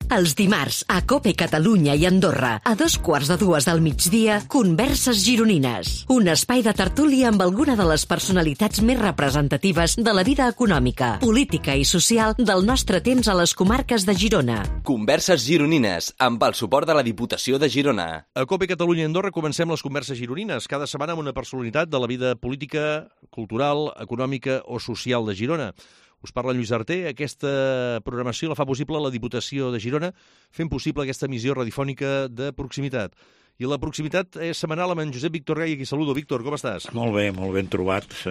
Els dimarts, a COPE Catalunya i Andorra, a 2:15 del migdia, Converses Gironines. Un espai de tertúlia amb alguna de les personalitats més representatives de la vida econòmica, política i social del nostre temps a les comarques de Girona. Converses Gironines, amb el suport de la Diputació de Girona. A COPE Catalunya i Andorra comencem les Converses Gironines, cada setmana amb una personalitat de la vida política, cultural, econòmica o social de Girona. Us parla Lluís Arter. Aquesta programació la fa possible la Diputació de Girona, fent possible aquesta emissió radiofònica de proximitat. I la proximitat és setmanal amb en Josep Víctor Gai, aquí saludo. Víctor, com estàs? Molt ben trobats,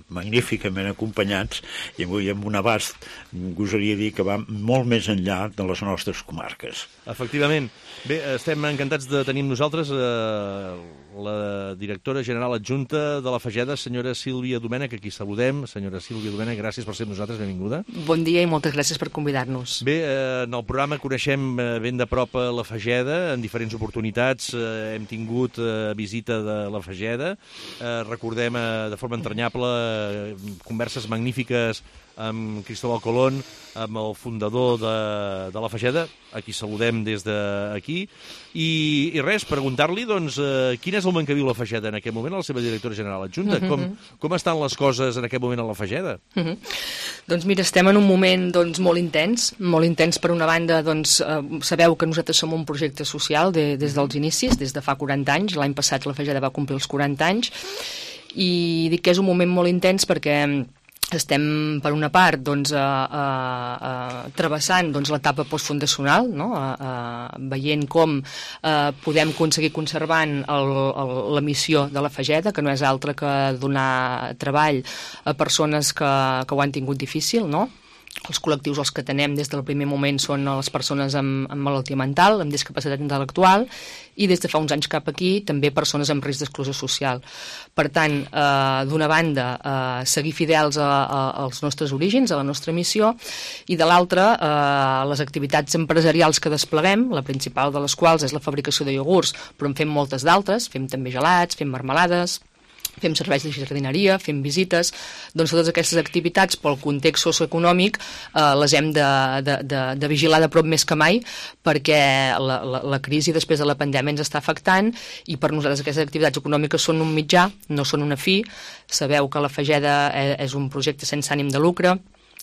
magníficament acompanyats, i avui amb un abast, gosaria dir que va molt més enllà de les nostres comarques. Efectivament. Bé, estem encantats de tenir amb nosaltres la directora general adjunta de la Fageda, senyora Sílvia Domènech, aquí saludem. Senyora Sílvia Domènech, gràcies per ser amb nosaltres, benvinguda. Bon dia i moltes gràcies per convidar-nos. Bé, en el programa coneixem ben de prop la Fageda, en diferents oportunitats hem tingut visita de la Fageda, recordem de forma entranyable converses magnífiques amb Cristóbal Colón, amb el fundador de la Fageda, a qui saludem des d'aquí, i res, preguntar-li, doncs, quin és el moment que viu la Fageda en aquest moment, la seva directora general adjunta? Com estan les coses en aquest moment a la Fageda? Doncs mira, estem en un moment molt intens per una banda, doncs, sabeu que nosaltres som un projecte social des dels inicis, des de fa 40 anys, l'any passat la Fageda va complir els 40 anys, i dic que és un moment molt intens perquè estem, per una part, travessant l'etapa postfundacional, no? Veient com podem aconseguir conservant la missió de la Fageda, que no és altra que donar treball a persones que ho han tingut difícil, no? Els col·lectius als que atenem des del primer moment són les persones amb malaltia mental, amb discapacitat intel·lectual, i des de fa uns anys cap aquí també persones amb risc d'exclusió social. Per tant, d'una banda, seguir fidels als nostres orígens, a la nostra missió, i de l'altra, les activitats empresarials que despleguem, la principal de les quals és la fabricació de iogurts, però en fem moltes d'altres, fem també gelats, fem marmelades, fem serveis de jardineria, fem visites, doncs totes aquestes activitats pel context socioeconòmic les hem de vigilar de prop més que mai perquè la crisi després de la pandèmia ens està afectant i per nosaltres aquestes activitats econòmiques són un mitjà, no són una fi. Sabeu que la Fageda és un projecte sense ànim de lucre,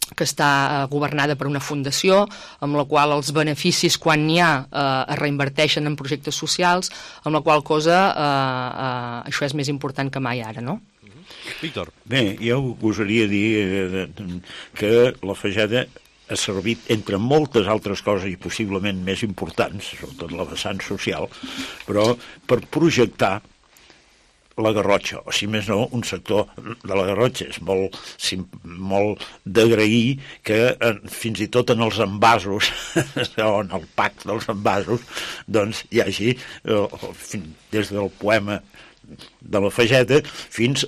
que està governada per una fundació amb la qual els beneficis, quan n'hi ha, es reinverteixen en projectes socials, amb la qual cosa això és més important que mai ara, no? Víctor. Bé, jo gosaria dir que la Fageda ha servit, entre moltes altres coses i possiblement més importants, sobretot la vessant social, però per projectar la Garrotxa, o si més no, un sector de la Garrotxa. És molt d'agrair que fins i tot en els envasos, o en el pack dels envasos, doncs hi hagi, des del poema de la Fageda fins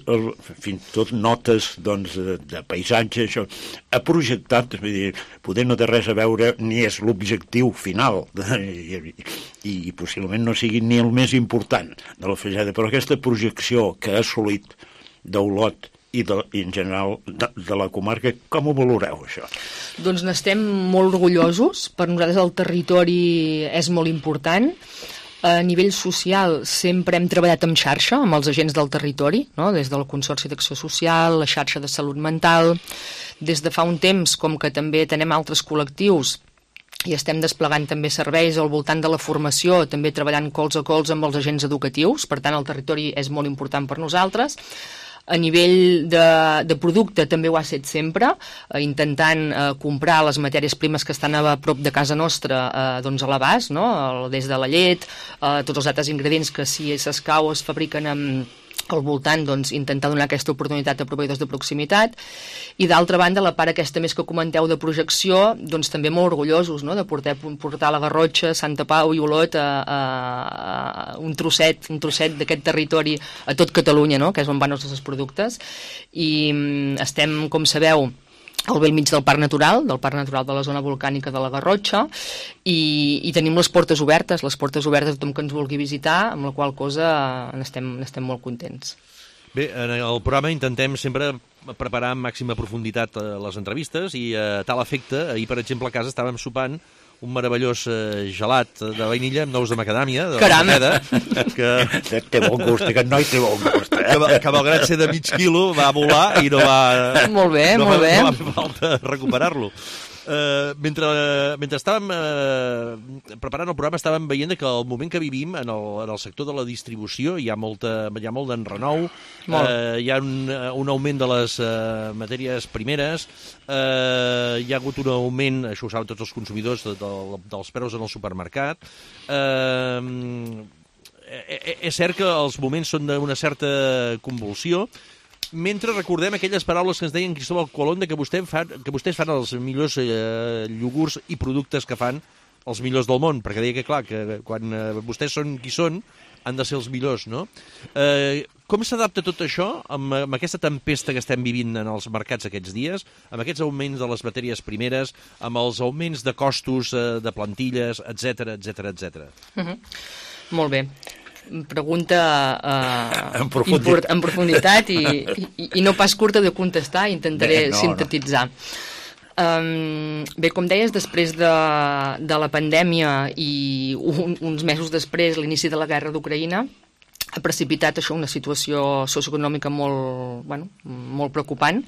tot notes de paisatge, això ha projectat, és a dir, poder no té res a veure ni és l'objectiu final i possiblement no sigui ni el més important de la Fageda, però aquesta projecció que ha assolit d'Olot i en general de la comarca, com ho valoreu, això? Doncs n'estem molt orgullosos. Per nosaltres el territori és molt important. A nivell social sempre hem treballat en xarxa amb els agents del territori, no? Des del Consorci d'Acció Social, la xarxa de salut mental. Des de fa un temps, com que també tenem altres col·lectius i estem desplegant també serveis al voltant de la formació, també treballant colze a colze amb els agents educatius, per tant el territori és molt important per nosaltres. A nivell de producte també ho ha estat sempre, intentant comprar les matèries primes que estan a prop de casa nostra a l'abast, no? Des de la llet, tots els altres ingredients que si s'escau es fabriquen al voltant, doncs, intentar donar aquesta oportunitat a proveïdors de proximitat. I d'altra banda, la part aquesta més que comenteu de projecció, doncs també molt orgullosos, no? De portar la Garrotxa, Santa Pau i Olot un trosset d'aquest territori a tot Catalunya, no? Que és on van els nostres productes. I estem, com sabeu, al bell mig del Parc Natural de la zona volcànica de la Garrotxa, i tenim les portes obertes a tothom que ens vulgui visitar, amb la qual cosa n'estem molt contents. Bé, en el programa intentem sempre preparar amb màxima profunditat les entrevistes i a tal efecte, ahir per exemple a casa estàvem sopant un meravellós gelat de vainilla amb nous de macadàmia, de Caram! la Fageda, que Té bon gust, aquest noi té bon gust. que malgrat ser de mig quilo va volar i no va... Molt bé, no molt bé. No va fer falta recuperar-lo. Mentre estàvem preparant el programa estàvem veient que el moment que vivim en el sector de la distribució hi ha molt d'enrenou, hi ha un augment de les matèries primeres, hi ha hagut un augment, això ho saben tots els consumidors, dels preus en el supermercat. És cert que els moments són d'una certa convulsió, mentre recordem aquelles paraules que ens deien Cristóbal Colón que vostès fan els millors iogurts i productes que fan els millors del món, perquè deia que, clar, que quan vostès són qui són, han de ser els millors, no? Com s'adapta tot això amb aquesta tempesta que estem vivint en els mercats aquests dies, amb aquests augments de les matèries primeres, amb els augments de costos de plantilles, etc etc etc. Molt bé. Pregunta En profunditat. en profunditat i no pas curta de contestar, intentaré sintetitzar. Bé, com deies, després de la pandèmia i uns mesos després, l'inici de la guerra d'Ucraïna, ha precipitat això una situació socioeconòmica molt preocupant,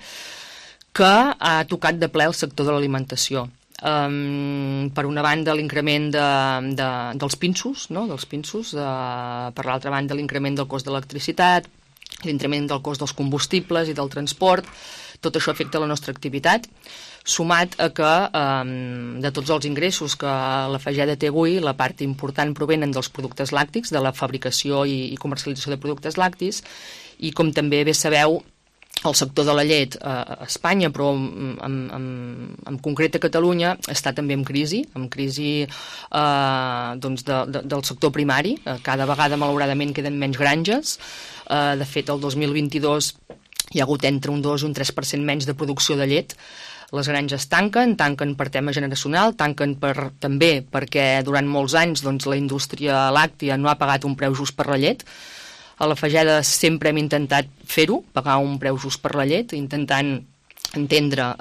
que ha tocat de ple el sector de l'alimentació. Per una banda l'increment dels pinsos, no? Per l'altra banda l'increment del cost de l'electricitat, l'increment del cost dels combustibles i del transport, tot això afecta la nostra activitat, sumat a que de tots els ingressos que la Fageda té avui, la part important provenen dels productes làctics, de la fabricació i comercialització de productes làctics, i com també bé sabeu, el sector de la llet a Espanya, però en concret a Catalunya, està també en crisi del sector primari. Cada vegada, malauradament, queden menys granges. De fet, el 2022 hi ha hagut entre un 2 i un 3% menys de producció de llet. Les granges tanquen per tema generacional, tanquen també perquè durant molts anys la indústria làctia no ha pagat un preu just per la llet. A la Fageda sempre hem intentat fer-ho, pagar un preu just per la llet, intentant entendre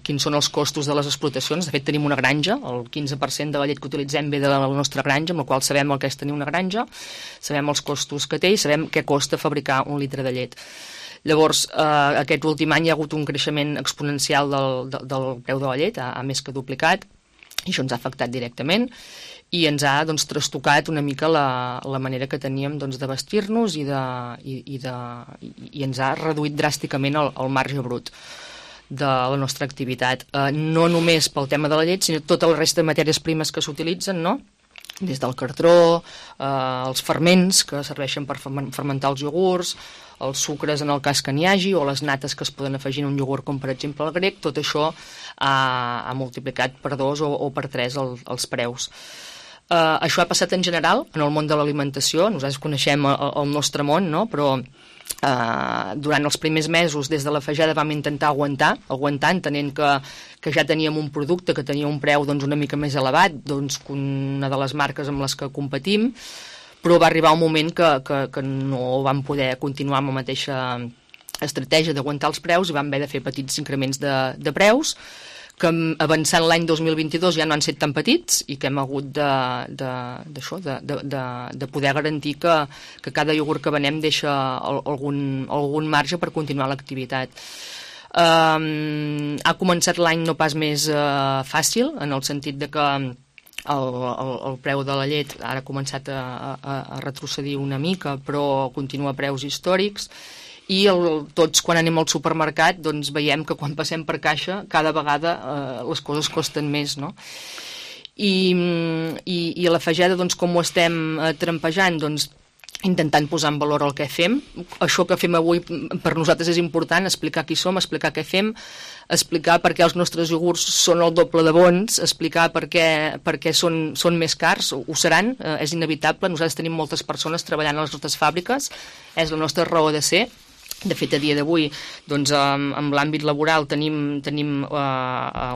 quins són els costos de les explotacions. De fet, tenim una granja, el 15% de la llet que utilitzem ve de la nostra granja, amb la qual sabem el que és tenir una granja, sabem els costos que té i sabem què costa fabricar un litre de llet. Llavors, aquest últim any hi ha hagut un creixement exponencial del preu de la llet, ha més que duplicat, i això ens ha afectat directament, i ens ha trastocat una mica la manera que teníem de vestir-nos i ens ha reduït dràsticament el marge brut de la nostra activitat. No només pel tema de la llet, sinó tota la resta de matèries primes que s'utilitzen, no? Des del cartró, els ferments que serveixen per fermentar els iogurts, els sucres en el cas que n'hi hagi, o les nates que es poden afegir en un iogurt, com per exemple el grec, tot això ha multiplicat per 2 o per 3 els preus. Això ha passat en general en el món de l'alimentació. Nosaltres coneixem el nostre món, no? Però durant els primers mesos des de la Fageda vam intentar aguantar entenent que ja teníem un producte que tenia un preu una mica més elevat que una de les marques amb les que competim, però va arribar un moment que no vam poder continuar amb la mateixa estratègia d'aguantar els preus i vam haver de fer petits increments de preus, que avançant l'any 2022 ja no han set tan petits i que hem hagut de poder garantir que cada iogurt que venem deixa algun marge per continuar l'activitat. Ha començat l'any no pas més fàcil, en el sentit de que el preu de la llet ara ha començat a retrocedir una mica, però continua a preus històrics, i tots quan anem al supermercat veiem que quan passem per caixa cada vegada les coses costen més, no? I a la Fageda com ho estem trampejant? Intentant posar en valor el que fem. Això que fem avui per nosaltres és important, explicar qui som, explicar què fem, explicar per què els nostres iogurts són el doble de bons, explicar per què són més cars, ho seran, és inevitable. Nosaltres tenim moltes persones treballant a les nostres fàbriques, és la nostra raó de ser, De fet, a dia d'avui, doncs, amb l'àmbit laboral tenim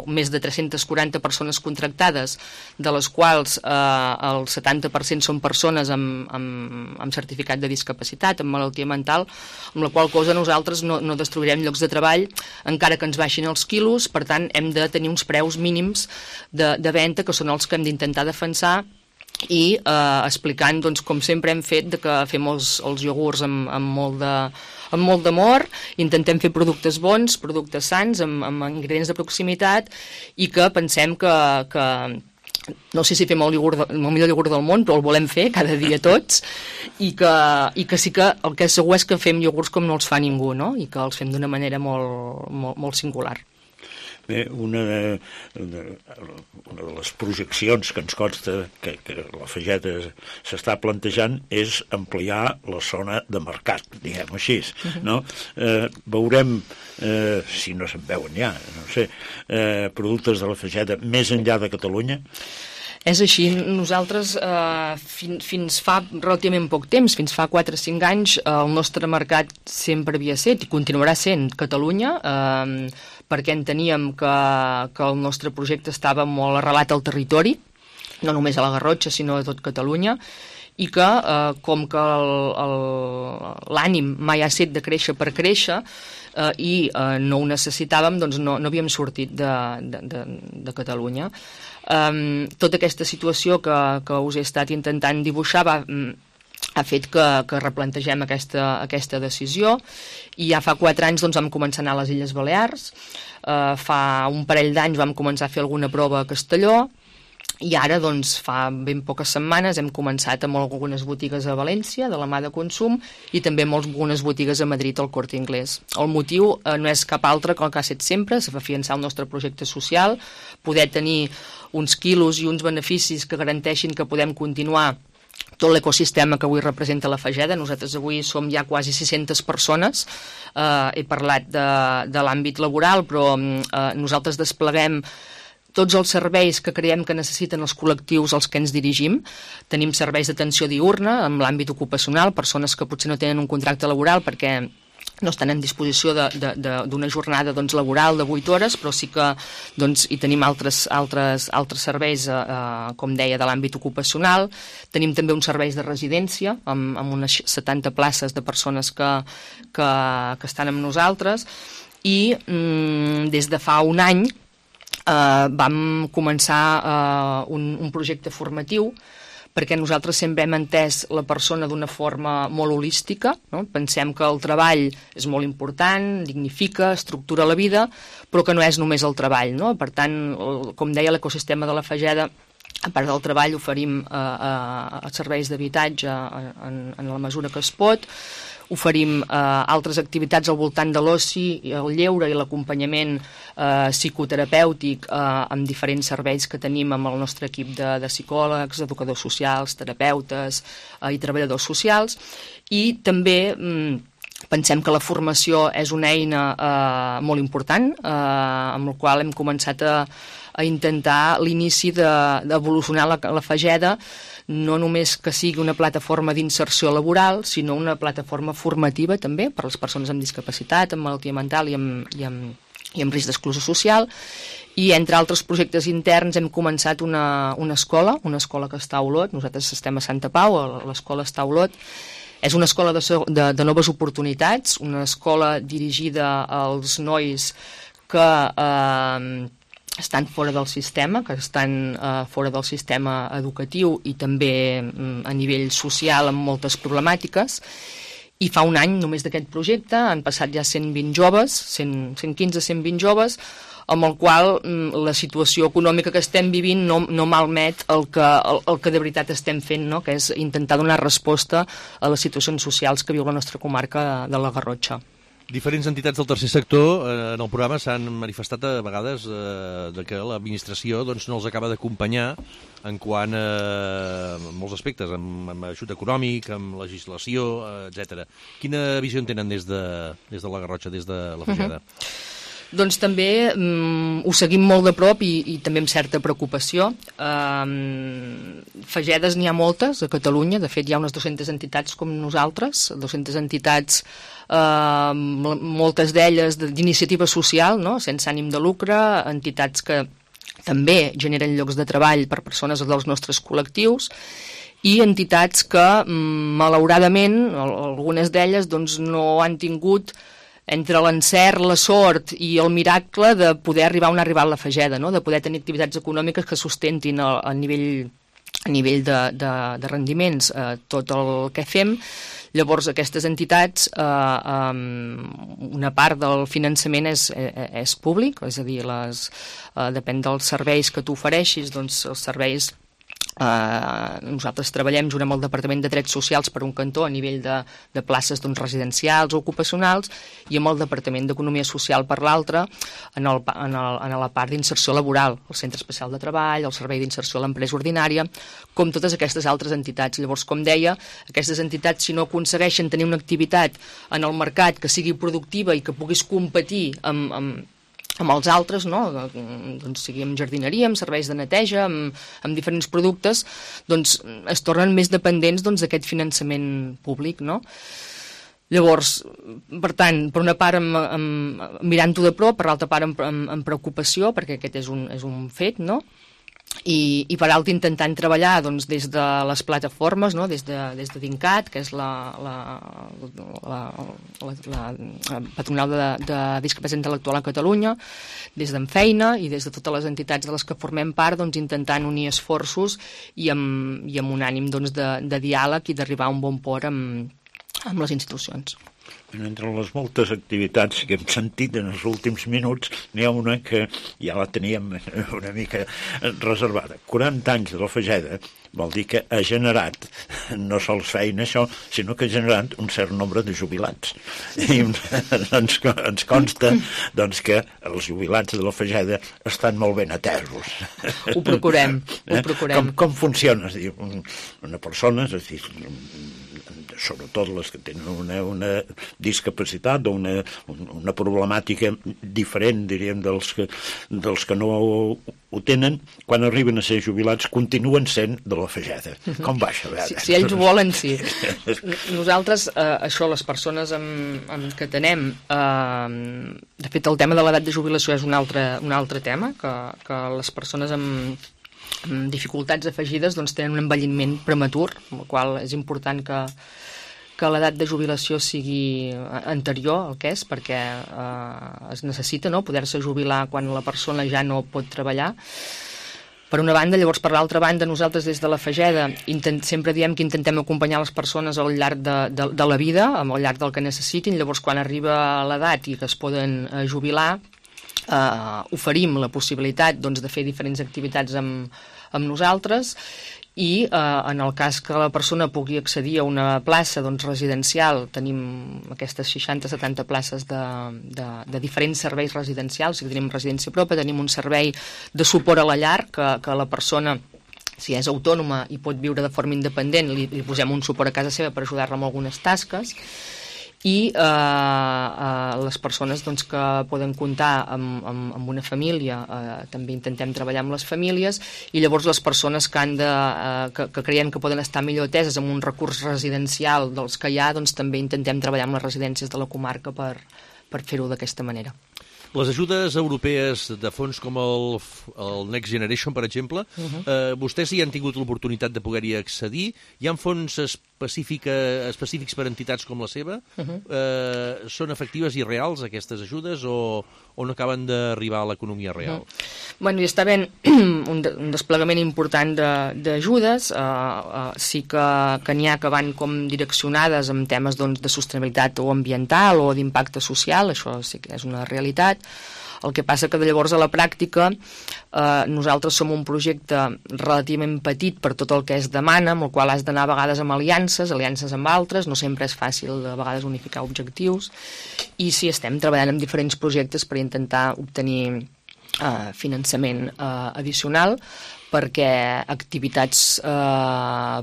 més de 340 persones contractades, de les quals el 70% són persones amb certificat de discapacitat, amb malaltia mental, amb la qual cosa nosaltres no destruirem llocs de treball, encara que ens baixin els quilos. Per tant, hem de tenir uns preus mínims de venda, que són els que hem d'intentar defensar, i explicant, doncs, com sempre hem fet, que fem els iogurts amb molt d'amor, intentem fer productes bons, productes sans, amb ingredients de proximitat, i que pensem que no sé si fem el millor iogurt del món, però el volem fer cada dia tots, i que sí que el que és segur és que fem iogurts com no els fa ningú, no? I que els fem d'una manera molt singular. Bé, una de les projeccions que ens consta que la Fageda s'està plantejant és ampliar la zona de mercat, diguem-ho així, no? Veurem, si no se'n veuen ja, no sé, productes de la Fageda més enllà de Catalunya? És així. Nosaltres, fins fa relativament poc temps, fins fa 4 o 5 anys, el nostre mercat sempre havia estat i continuarà sent Catalunya, perquè enteníem que el nostre projecte estava molt arrelat al territori, no només a la Garrotxa, sinó a tot Catalunya, i que, com que l'ànim mai ha estat de créixer per créixer, i no ho necessitàvem, doncs no havíem sortit de Catalunya. Tota aquesta situació que us he estat intentant dibuixar ha fet que replantegem aquesta decisió, i ja fa 4 anys doncs, vam començar a anar a les Illes Balears, fa un parell d'anys vam començar a fer alguna prova a Castelló, i ara, doncs, fa ben poques setmanes hem començat amb algunes botigues a València, de la mà de consum, i també amb algunes botigues a Madrid, al Corte Inglés. El motiu no és cap altre que el que ha estat sempre, és afiançar el nostre projecte social, poder tenir uns quilos i uns beneficis que garanteixin que podem continuar tot l'ecosistema que avui representa la Fageda. Nosaltres avui som ja quasi 600 persones, he parlat de l'àmbit laboral, però nosaltres despleguem tots els serveis que creiem que necessiten els col·lectius als que ens dirigim. Tenim serveis d'atenció diürna en l'àmbit ocupacional, persones que potser no tenen un contracte laboral perquè no estan en disposició d'una jornada laboral de 8 hores, però sí que hi tenim altres serveis, com deia, de l'àmbit ocupacional. Tenim també uns serveis de residència, amb unes 70 places de persones que estan amb nosaltres, i des de fa un any vam començar un projecte formatiu, perquè nosaltres sempre hem entès la persona d'una forma molt holística, no? Pensem que el treball és molt important, dignifica, estructura la vida, però que no és només el treball, no? Per tant, com deia, l'ecosistema de la Fageda, a part del treball, oferim serveis d'habitatge en la mesura que es pot, oferim altres activitats al voltant de l'oci, el lleure i l'acompanyament psicoterapèutic amb diferents serveis que tenim amb el nostre equip de psicòlegs, educadors socials, terapeutes i treballadors socials. I també pensem que la formació és una eina molt important, amb la qual hem començat a intentar l'inici d'evolucionar la Fageda, no només que sigui una plataforma d'inserció laboral, sinó una plataforma formativa també per a les persones amb discapacitat, amb malaltia mental i amb risc d'exclusió social. I entre altres projectes interns hem començat una escola que està a Olot. Nosaltres estem a Santa Pau, l'escola està a Olot. És una escola de noves oportunitats, una escola dirigida als nois que estan fora del sistema, fora del sistema educatiu i també a nivell social amb moltes problemàtiques. I fa un any només d'aquest projecte han passat ja 120 joves, 115-120 joves, amb el qual la situació econòmica que estem vivint no malmet el que de veritat estem fent, no? Que és intentar donar resposta a les situacions socials que viu la nostra comarca de la Garrotxa. Diferents entitats del tercer sector en el programa s'han manifestat a vegades que l'administració no els acaba d'acompanyar en quant a molts aspectes, amb ajut econòmic, amb legislació, etc. Quina visió en tenen des de la Garrotxa, des de la Fageda? Doncs també ho seguim molt de prop i també amb certa preocupació. Fagedes n'hi ha moltes a Catalunya, de fet hi ha unes 200 entitats com nosaltres, 200 entitats, moltes d'elles d'iniciativa social, no? Sense ànim de lucre, entitats que també generen llocs de treball per persones dels nostres col·lectius, i entitats que, malauradament, algunes d'elles doncs, no han tingut entre l'encert, la sort i el miracle de poder arribar on ha arribat la Fageda, no? De poder tenir activitats econòmiques que sustentin a nivell de rendiments tot el que fem. Llavors, aquestes entitats, una part del finançament és públic, és a dir, depèn dels serveis que tu ofereixis, doncs els serveis nosaltres treballem junt amb el Departament de Drets Socials per un cantó a nivell de places residencials o ocupacionals i amb el Departament d'Economia Social per l'altre en la part d'inserció laboral, el Centre Especial de Treball, el Servei d'Inserció a l'Empresa Ordinària, com totes aquestes altres entitats. Llavors, com deia, aquestes entitats, si no aconsegueixen tenir una activitat en el mercat que sigui productiva i que puguis competir amb els altres, no? Doncs sigui amb jardineria, amb serveis de neteja, amb diferents productes, doncs es tornen més dependents d'aquest finançament públic, no? Llavors, per tant, per una part mirant-ho de prop, per l'altra part amb preocupació, perquè aquest és un fet, no? I per altra intentant treballar doncs, des de les plataformes, no? des de DINCAT, que és la patronal de discapacitat intel·lectual a Catalunya, des d'Enfeina i des de totes les entitats de les que formem part, doncs, intentant unir esforços i amb un ànim doncs, de diàleg i d'arribar a un bon port amb les institucions. Entre les moltes activitats que hem sentit en els últims minuts, n'hi ha una que ja la teníem una mica reservada. 40 anys de la Fageda vol dir que ha generat no sols feina això, sinó que ha generat un cert nombre de jubilats. I ens consta doncs, que els jubilats de la Fageda estan molt ben atesos. Ho procurem, ho procurem. Com funciona? És a dir, una persona, és a dir, sobretot les que tenen una discapacitat o una problemàtica diferent, diríem, dels que no ho tenen, quan arriben a ser jubilats continuen sent de la Fageda. Com va això? Si ells volen, sí. Nosaltres, això, les persones que tenem, de fet, el tema de l'edat de jubilació és un altre tema, que les persones amb dificultats afegides doncs, tenen un envelliment prematur, amb el qual és important que l'edat de jubilació sigui anterior al que és, perquè es necessita poder-se jubilar quan la persona ja no pot treballar. Per una banda, llavors per l'altra banda, nosaltres des de la Fageda sempre diem que intentem acompanyar les persones al llarg de la vida, al llarg del que necessitin. Llavors quan arriba l'edat i que es poden jubilar, oferim la possibilitat doncs, de fer diferents activitats amb nosaltres i en el cas que la persona pugui accedir a una plaça doncs, residencial, tenim aquestes 60-70 places de diferents serveis residencials, si tenim residència pròpia, tenim un servei de suport a la llar que la persona, si és autònoma i pot viure de forma independent, li posem un suport a casa seva per ajudar-la amb algunes tasques, i les persones doncs, que poden comptar amb una família, també intentem treballar amb les famílies, i llavors les persones que creiem que poden estar millor ateses amb un recurs residencial dels que hi ha, doncs també intentem treballar amb les residències de la comarca per fer-ho d'aquesta manera. Les ajudes europees de fons com el Next Generation, per exemple, vostès hi han tingut l'oportunitat de poder-hi accedir? Hi ha fons específics per entitats com la seva? Són efectives i reals, aquestes ajudes, o no acaben d'arribar a l'economia real? Bueno, hi està havent un desplegament important d'ajudes, sí que n'hi ha que van com direccionades en temes de sostenibilitat o ambiental o d'impacte social, això sí que és una realitat. El que passa que llavors a la pràctica nosaltres som un projecte relativament petit per tot el que es demana, amb el qual has d'anar a vegades amb aliances amb altres, no sempre és fàcil a vegades unificar objectius, i sí estem treballant en diferents projectes per intentar obtenir finançament addicional, perquè activitats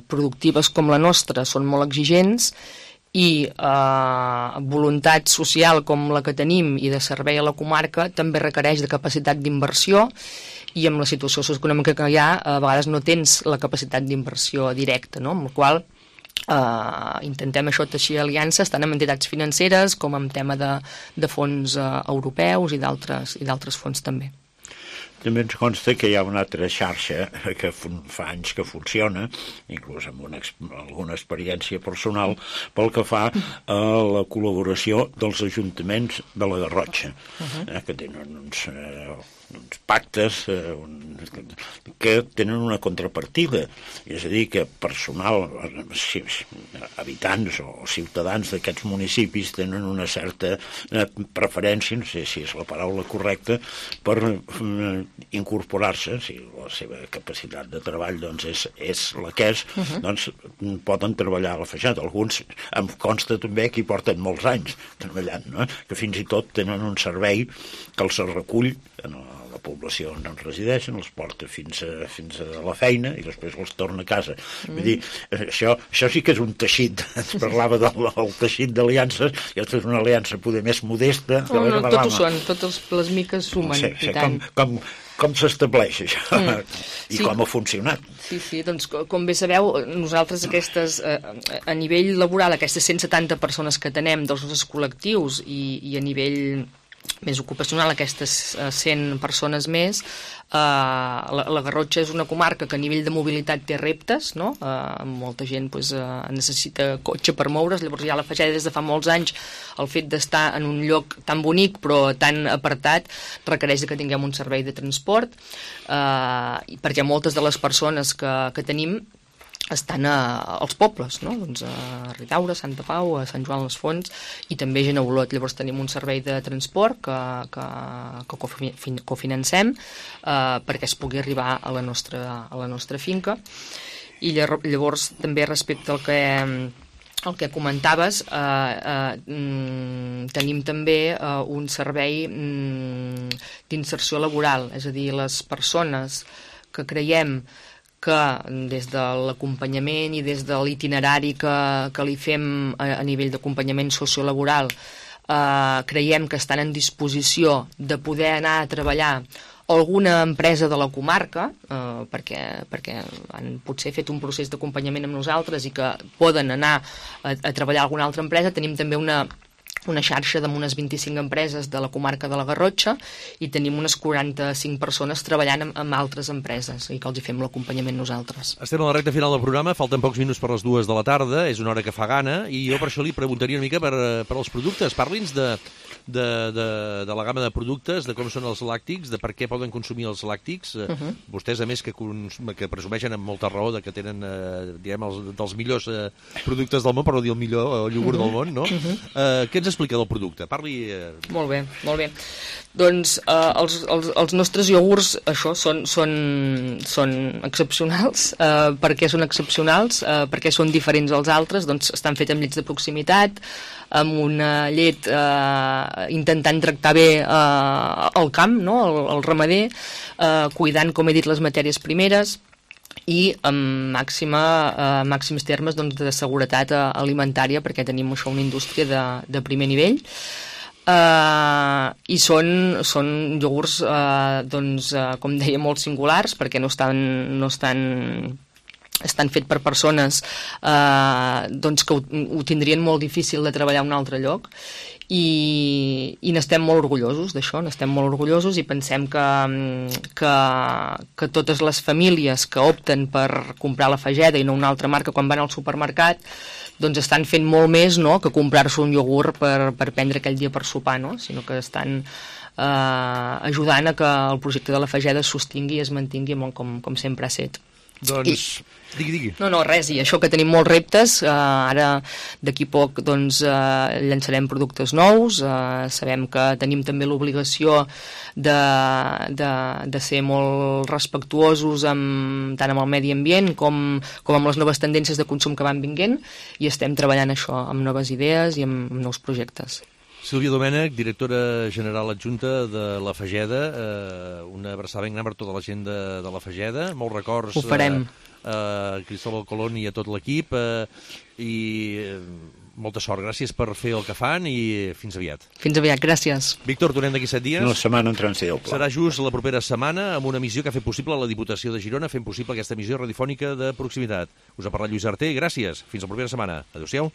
productives com la nostra són molt exigents i voluntat social com la que tenim i de servei a la comarca també requereix de capacitat d'inversió, i amb la situació socioeconòmica que hi ha, a vegades no tens la capacitat d'inversió directa, no? Amb la qual intentem això teixir aliances tant amb entitats financeres com amb tema de fons europeus i d'altres fons també. També ens consta que hi ha una altra xarxa que fa anys que funciona, inclús amb alguna experiència personal, pel que fa a la col·laboració dels ajuntaments de la Garrotxa, que tenen uns pactes que tenen una contrapartida, és a dir, que personal, habitants o ciutadans d'aquests municipis tenen una certa preferència, no sé si és la paraula correcta, per incorporar-se, si la seva capacitat de treball doncs, és la que és, doncs poden treballar a la Fageda. Alguns em consta també que hi porten molts anys treballant, no? Que fins i tot tenen un servei que els recull en la població on resideixen, els porta fins a la feina i després els torna a casa. Vull dir, això sí que és un teixit. Ens parlava del teixit d'aliances, i aquesta és una aliança poder més modesta. No, tot ho són, totes les miques sumen. No sé, com s'estableix això i com ha funcionat. Sí, doncs com bé sabeu, nosaltres a nivell laboral, aquestes 170 persones que tenem dels nostres col·lectius i a nivell més ocupacional, aquestes 100 persones més, la Garrotxa és una comarca que a nivell de mobilitat té reptes, no? Molta gent necessita cotxe per moure's, llavors ja la Fageda des de fa molts anys el fet d'estar en un lloc tan bonic però tan apartat requereix que tinguem un servei de transport, perquè moltes de les persones que tenim estan als pobles, no? Doncs a Ridaura, a Santa Pau, a Sant Joan les Fonts i també a Olot. Llavors tenim un servei de transport que cofinancem perquè es pugui arribar a la nostra finca. I llavors també respecte al que comentaves, tenim també un servei d'inserció laboral, és a dir, les persones que creiem que des de l'acompanyament i des de l'itinerari que li fem a nivell d'acompanyament sociolaboral creiem que estan en disposició de poder anar a treballar a alguna empresa de la comarca, perquè han potser fet un procés d'acompanyament amb nosaltres i que poden anar a treballar a alguna altra empresa. Tenim també una xarxa d'unes 25 empreses de la comarca de la Garrotxa i tenim unes 45 persones treballant amb altres empreses i que els hi fem l'acompanyament nosaltres. Estem a la recta final del programa, falten pocs minuts per les 2 de la tarda, és una hora que fa gana, i jo per això li preguntaria una mica per als productes. Parli'ns de la gamma de productes, de com són els làctics, de per què poden consumir els làctics. Vostès, a més, que presumeixen amb molta raó de que tenen dels millors productes del món, per no dir el millor iogurt del món, no? Què ens explica del producte? Parli... Molt bé. Doncs els nostres iogurts, això, són excepcionals. Per què són excepcionals? Perquè són diferents als altres? Doncs estan fets amb llets de proximitat, amb una llet intentant tractar bé el camp, no? El ramader, cuidant, com he dit, les matèries primeres i amb màxims termes de seguretat alimentària, perquè tenim això una indústria de primer nivell. I són iogurts com deia, molt singulars, perquè estan fets per persones que ho tindrien molt difícil de treballar a un altre lloc, i n'estem molt orgullosos d'això, i pensem que totes les famílies que opten per comprar la Fageda i no una altra marca quan van al supermercat doncs estan fent molt més, no?, que comprar-se un iogurt per prendre aquell dia per sopar, no?, sinó que estan ajudant a que el projecte de la Fageda es sostingui i es mantingui molt com sempre ha set. Doncs, digui. No, res, i això que tenim molts reptes, ara d'aquí poc llançarem productes nous, sabem que tenim també l'obligació de ser molt respectuosos tant amb el medi ambient com amb les noves tendències de consum que van vinguent, i estem treballant això amb noves idees i amb nous projectes. Sílvia Domènech, directora general adjunta de la Fageda, una abraçada ben gran per tota la gent de la Fageda, molts records. Ho farem. A Cristóbal Colón i a tot l'equip, i Molta sort, gràcies per fer el que fan i fins aviat. Fins aviat, gràcies. Víctor, tornem d'aquí 7 dies. Una setmana en transició. Serà just la propera setmana amb una emissió que ha fet possible la Diputació de Girona, fent possible aquesta emissió radiofònica de proximitat. Us ha parlat Lluís Arter, gràcies. Fins la propera setmana. Adéu-siau.